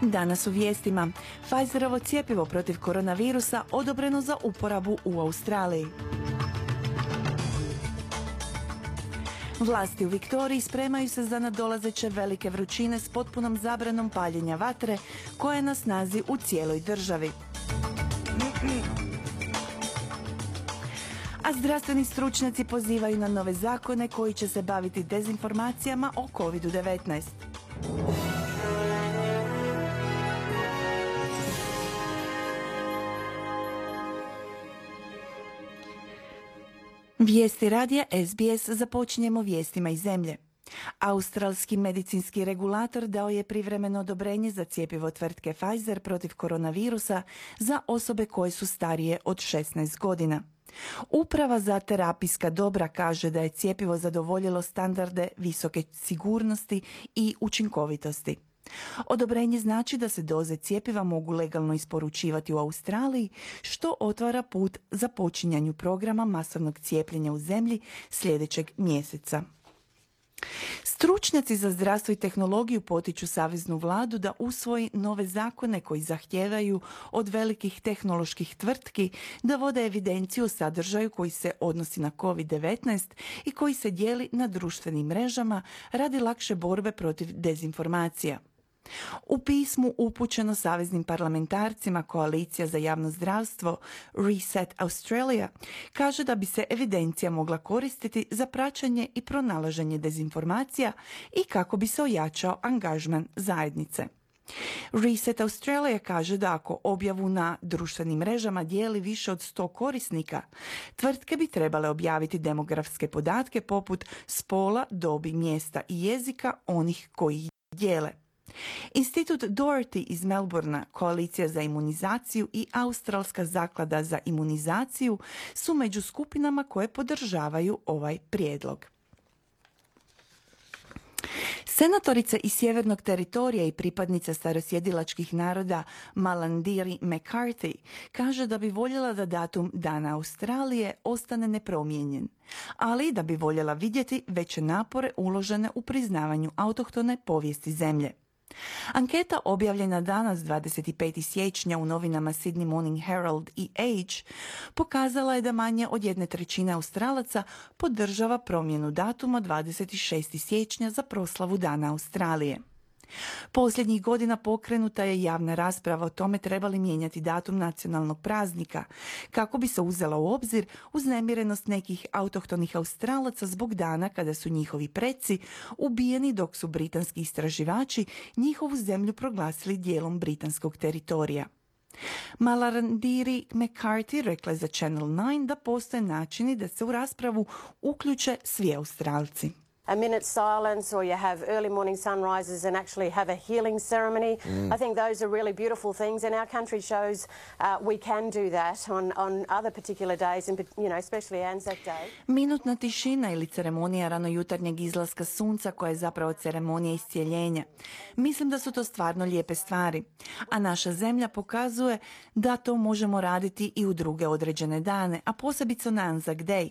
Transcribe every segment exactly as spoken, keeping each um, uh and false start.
Danas u vijestima. Pfizerovo cjepivo protiv koronavirusa odobreno za uporabu u Australiji. Vlasti u Viktoriji spremaju se za nadolazeće velike vrućine s potpunom zabranom paljenja vatre koja je na snazi u cijeloj državi. A zdravstveni stručnjaci pozivaju na nove zakone koji će se baviti dezinformacijama o kovid devetnaest. Vijesti radija S B S započinjemo vijestima iz zemlje. Australski medicinski regulator dao je privremeno odobrenje za cjepivo tvrtke Pfizer protiv koronavirusa za osobe koje su starije od šesnaest godina. Uprava za terapijska dobra kaže da je cjepivo zadovoljilo standarde visoke sigurnosti i učinkovitosti. Odobrenje znači da se doze cjepiva mogu legalno isporučivati u Australiji, što otvara put za počinjanju programa masovnog cijepljenja u zemlji sljedećeg mjeseca. Stručnjaci za zdravstvo i tehnologiju potiču saveznu vladu da usvoji nove zakone koji zahtijevaju od velikih tehnoloških tvrtki da vode evidenciju o sadržaju koji se odnosi na kovid devetnaest i koji se dijeli na društvenim mrežama radi lakše borbe protiv dezinformacija. U pismu upućeno saveznim parlamentarcima Koalicija za javno zdravstvo Reset Australia kaže da bi se evidencija mogla koristiti za praćenje i pronalaženje dezinformacija i kako bi se ojačao angažman zajednice. Reset Australia kaže da ako objavu na društvenim mrežama dijeli više od sto korisnika, tvrtke bi trebale objaviti demografske podatke poput spola, dobi, mjesta i jezika onih koji ih dijele. Institut Doherty iz Melbournea, Koalicija za imunizaciju i Australska zaklada za imunizaciju su među skupinama koje podržavaju ovaj prijedlog. Senatorica iz Sjevernog teritorija i pripadnica starosjedilačkih naroda Malarndirri McCarthy kaže da bi voljela da datum Dana Australije ostane nepromijenjen, ali da bi voljela vidjeti veće napore uložene u priznavanju autohtone povijesti zemlje. Anketa objavljena danas dvadeset petog siječnja u novinama Sydney Morning Herald i Age pokazala je da manje od jedne trećine Australaca podržava promjenu datuma dvadeset šestog siječnja za proslavu Dana Australije. Posljednjih godina pokrenuta je javna rasprava o tome treba li mijenjati datum nacionalnog praznika, kako bi se uzela u obzir uznemirenost nekih autohtonih Australaca zbog dana kada su njihovi preci ubijeni dok su britanski istraživači njihovu zemlju proglasili dijelom britanskog teritorija. Malarndirri McCarthy rekla je za Channel nine da postoje načini da se u raspravu uključe svi Australci. A minute's silence, or you have early morning sunrises and actually have a healing ceremony. Mm. I think those are really beautiful things, and our country shows uh, we can do that on, on other particular days, and you know, especially Anzac Day. Minutna tišina ili ceremonija ranojutarnjeg izlaska sunca koja je zapravo ceremonija iscijeljenja. Mislim da su to stvarno lijepe stvari, a naša zemlja pokazuje da to možemo raditi i u druge određene dane, a posebice na Anzac Day.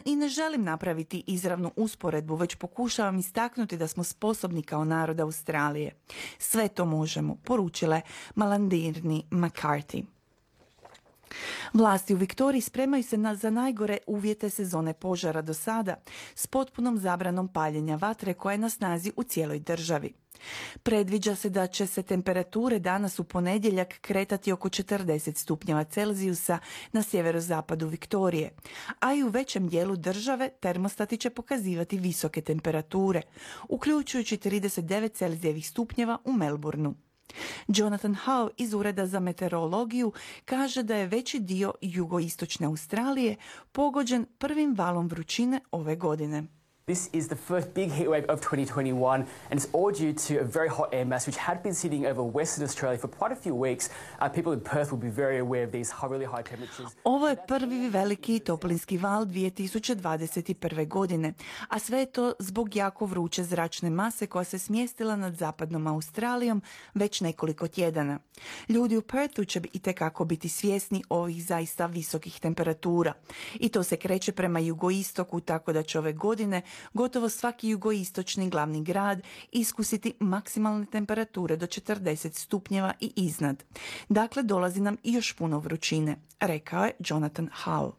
I ne želim napraviti izravnu usporedbu, već pokušavam istaknuti da smo sposobni kao narod Australije. Sve to možemo, poručila je Malarndirri McCarthy. Vlasti u Viktoriji spremaju se na, za najgore uvjete sezone požara do sada, s potpunom zabranom paljenja vatre koja je na snazi u cijeloj državi. Predviđa se da će se temperature danas u ponedjeljak kretati oko četrdeset stupnjeva Celzijusa na sjeverozapadu Viktorije, a i u većem dijelu države termostati će pokazivati visoke temperature, uključujući trideset devet Celzijevih stupnjeva u Melbourneu. Jonathan Howe iz Ureda za meteorologiju kaže da je veći dio jugoistočne Australije pogođen prvim valom vrućine ove godine. This is the first big heatwave of twenty twenty-one, and it's all due to a very hot air mass which had been sitting over Western Australia for quite a few weeks. Uh, people in Perth will be very aware of these really high temperatures. Ovo je prvi veliki toplinski val dvije tisuće dvadeset prve. godine, a sve je to zbog jako vruće zračne mase koja se smjestila nad zapadnom Australijom već nekoliko tjedana. Ljudi u Perthu će itekako biti svjesni ovih zaista visokih temperatura. I to se kreće prema jugoistoku, tako da će ove godine gotovo svaki jugoistočni glavni grad iskusiti maksimalne temperature do četrdeset stupnjeva i iznad. Dakle, dolazi nam i još puno vrućine, rekao je Jonathan Howell.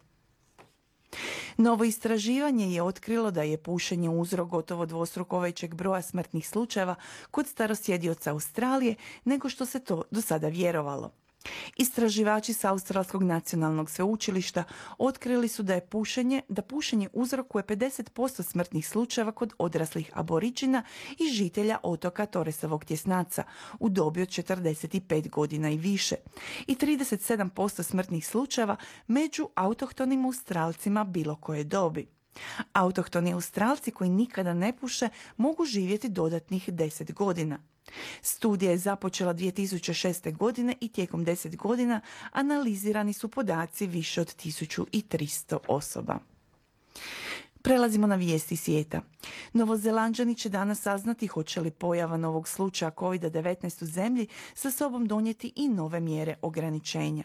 Novo istraživanje je otkrilo da je pušenje uzrok gotovo dvostruko većeg broja smrtnih slučajeva kod starosjedioca Australije nego što se to do sada vjerovalo. Istraživači s Australskog nacionalnog sveučilišta otkrili su da je pušenje, da pušenje uzrokuje pedeset posto smrtnih slučajeva kod odraslih aboriđina i žitelja otoka Torresovog tjesnaca u dobi od četrdeset pet godina i više i trideset sedam posto smrtnih slučajeva među autohtonim Australcima bilo koje dobi. Autohtoni Australci koji nikada ne puše mogu živjeti dodatnih deset godina. Studija je započela dvije tisuće šeste. godine i tijekom deset godina analizirani su podaci više od tisuću tristo osoba. Prelazimo na vijesti svijeta. Novozelanđani će danas saznati hoće li pojava novog slučaja kovid devetnaest u zemlji sa sobom donijeti i nove mjere ograničenja.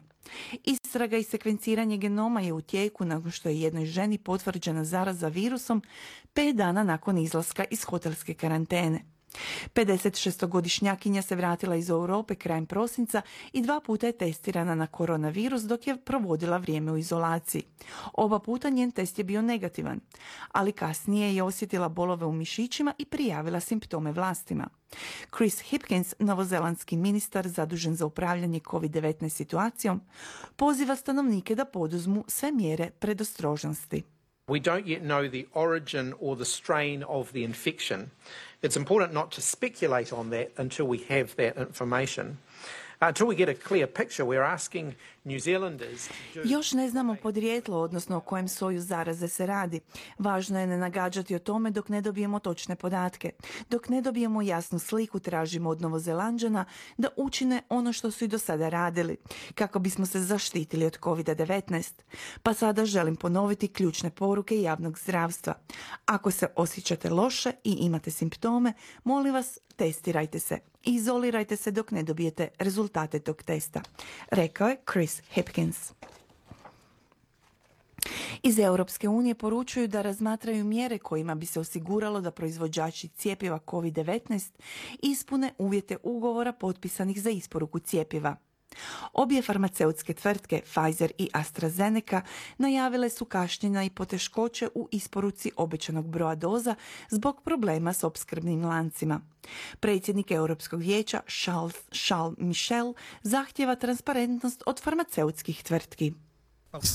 Istraga i sekvenciranje genoma je u tijeku nakon što je jednoj ženi potvrđena zaraza virusom pet dana nakon izlaska iz hotelske karantene. pedesetšestogodišnjakinja se vratila iz Europe krajem prosinca i dva puta je testirana na koronavirus dok je provodila vrijeme u izolaciji. Oba puta njen test je bio negativan, ali kasnije je osjetila bolove u mišićima i prijavila simptome vlastima. Chris Hipkins, novozelandski ministar zadužen za upravljanje kovid devetnaest situacijom, poziva stanovnike da poduzmu sve mjere predostrožnosti. We don't yet know the origin or the strain of the infection. It's important not to speculate on that until we have that information. Until we get a clear picture, we're asking New Zealanders to do... Još ne znamo podrijetlo, odnosno o kojem soju zaraze se radi. Važno je ne nagađati o tome dok ne dobijemo točne podatke. Dok ne dobijemo jasnu sliku, tražimo od Novozelanđana da učine ono što su i do sada radili, kako bismo se zaštitili od kovid devetnaest. Pa sada želim ponoviti ključne poruke javnog zdravstva. Ako se osjećate loše i imate simptome, molim vas, testirajte se. Izolirajte se dok ne dobijete rezultate tog testa, rekao je Chris Hipkins. Iz Europske unije poručuju da razmatraju mjere kojima bi se osiguralo da proizvođači cjepiva kovid devetnaest ispune uvjete ugovora potpisanih za isporuku cjepiva. Obje farmaceutske tvrtke, Pfizer i AstraZeneca, najavile su kašnjenja i poteškoće u isporuci obećanog broja doza zbog problema s opskrbnim lancima. Predsjednik Europskog vijeća Charles, Charles Michel zahtjeva transparentnost od farmaceutskih tvrtki.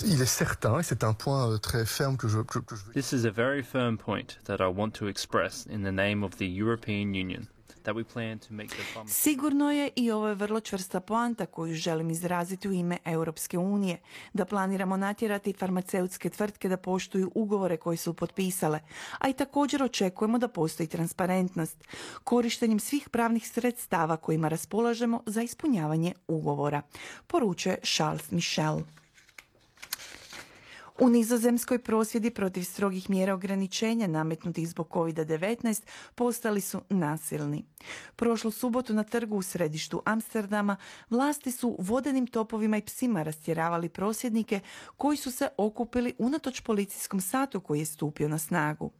Il est certain, et c'est un point très ferme que je, que, que je... This is a very firm point that I want to express in the name of the European Union. That we plan to make the pharma... Sigurno je, i ovo je vrlo čvrsta poanta koju želim izraziti u ime Europske unije, da planiramo natjerati farmaceutske tvrtke da poštuju ugovore koje su potpisale, a i također očekujemo da postoji transparentnost, korištenjem svih pravnih sredstava kojima raspolažemo za ispunjavanje ugovora, poručuje Charles Michel. U Nizozemskoj prosvjedi protiv strogih mjera ograničenja nametnutih zbog kovid devetnaest postali su nasilni. Prošlu subotu na trgu u središtu Amsterdama vlasti su vodenim topovima i psima rastjeravali prosvjednike koji su se okupili unatoč policijskom satu koji je stupio na snagu.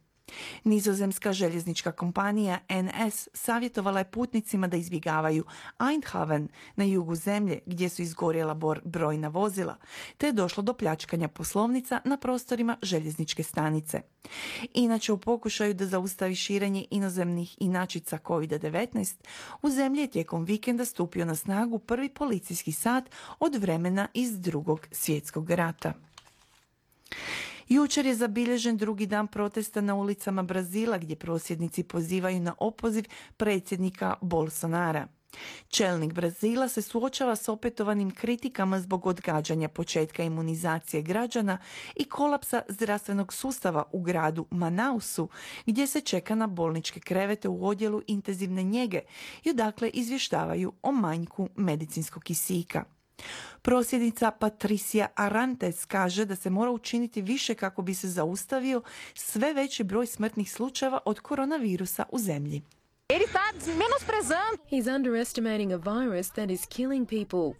Nizozemska željeznička kompanija N S savjetovala je putnicima da izbjegavaju Eindhoven na jugu zemlje gdje su izgorjela brojna vozila, te je došlo do pljačkanja poslovnica na prostorima željezničke stanice. Inače, u pokušaju da zaustavi širenje inozemnih inačica kovid devetnaest, u zemlji je tijekom vikenda stupio na snagu prvi policijski sat od vremena iz Drugog svjetskog rata. Jučer je zabilježen drugi dan protesta na ulicama Brazila gdje prosvjednici pozivaju na opoziv predsjednika Bolsonara. Čelnik Brazila se suočava s opetovanim kritikama zbog odgađanja početka imunizacije građana i kolapsa zdravstvenog sustava u gradu Manausu, gdje se čeka na bolničke krevete u odjelu intenzivne njege i odakle izvještavaju o manjku medicinskog kisika. Prosvjednica Patricia Arantes kaže da se mora učiniti više kako bi se zaustavio sve veći broj smrtnih slučajeva od koronavirusa u zemlji. Ele está menosprezando. He's underestimating a virus that is killing people.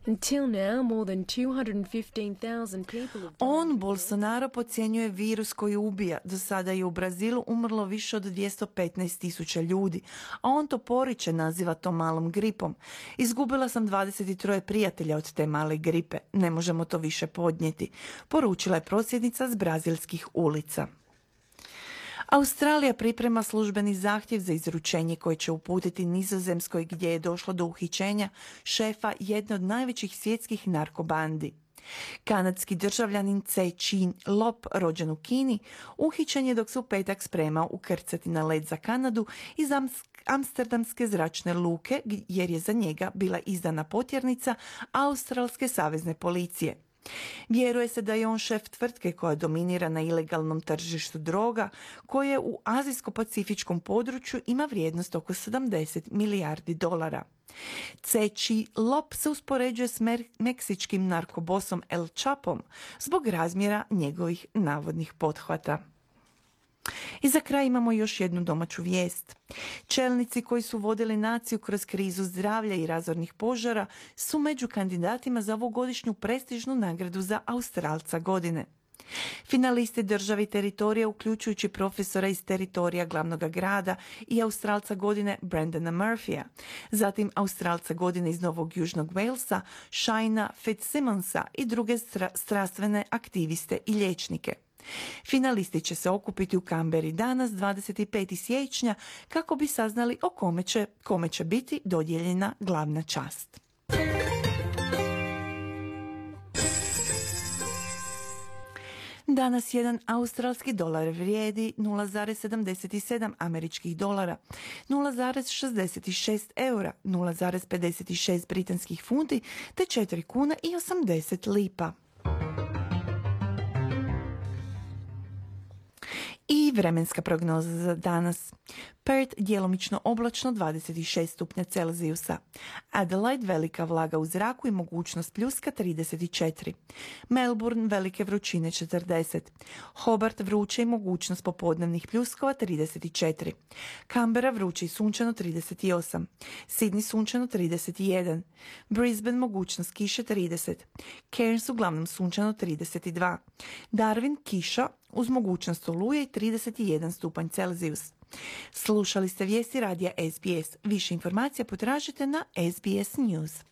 Until now, more than two hundred fifteen thousand people have died. On, Bolsonaro, podcjenjuje virus koji ubija. Do sada je u Brazilu umrlo više od dvjesto petnaest tisuća ljudi, a on to poriče, naziva to malom gripom. Izgubila sam dvadeset tri prijatelja od te male gripe. Ne možemo to više podnijeti, poručila je prosvjednica s brazilskih ulica. Australija priprema službeni zahtjev za izručenje koji će uputiti Nizozemskoj, gdje je došlo do uhićenja šefa jedne od najvećih svjetskih narkobandi. Kanadski državljanin Ce-Chin Lop, rođen u Kini, uhićen je dok se u petak spremao ukrcati na let za Kanadu iz Amsterdamske zračne luke, jer je za njega bila izdana potjernica Australske savezne policije. Vjeruje se da je on šef tvrtke koja dominira na ilegalnom tržištu droga, koje u azijsko-pacifičkom području ima vrijednost oko sedamdeset milijardi dolara. Ce-Chin Lop se uspoređuje s mer- meksičkim narkobosom El Chapom zbog razmjera njegovih navodnih pothvata. I za kraj imamo još jednu domaću vijest. Čelnici koji su vodili naciju kroz krizu zdravlja i razornih požara su među kandidatima za ovogodišnju prestižnu nagradu za Australca godine. Finalisti državi teritorija, uključujući profesora iz teritorija glavnog grada i Australca godine Brendana Murphyja, zatim Australca godine iz Novog Južnog Walesa, Shaina Fitzsimonsa i druge stra- strastvene aktiviste i liječnike. Finalisti će se okupiti u Kamberi danas, dvadeset petog siječnja, kako bi saznali o kome će, kome će biti dodijeljena glavna čast. Danas jedan australski dolar vrijedi nula zarez sedamdeset sedam američkih dolara, nula zarez šezdeset šest eura, nula zarez pedeset šest britanskih funti te četiri kuna i osamdeset lipa. I vremenska prognoza za danas. Perth djelomično oblačno dvadeset šest stupnja Celzijusa. Adelaide velika vlaga u zraku i mogućnost pljuska trideset četiri. Melbourne velike vrućine četrdeset. Hobart vruće i mogućnost popodnevnih pljuskova trideset četiri. Canberra vruće i sunčano trideset osam. Sydney sunčano trideset jedan. Brisbane mogućnost kiše trideset. Cairns uglavnom sunčano trideset dva. Darwin kiša uz mogućnost oluje i trideset jedan stupanj Celzijus. Slušali ste vijesti radija S B S. Više informacija potražite na S B S News.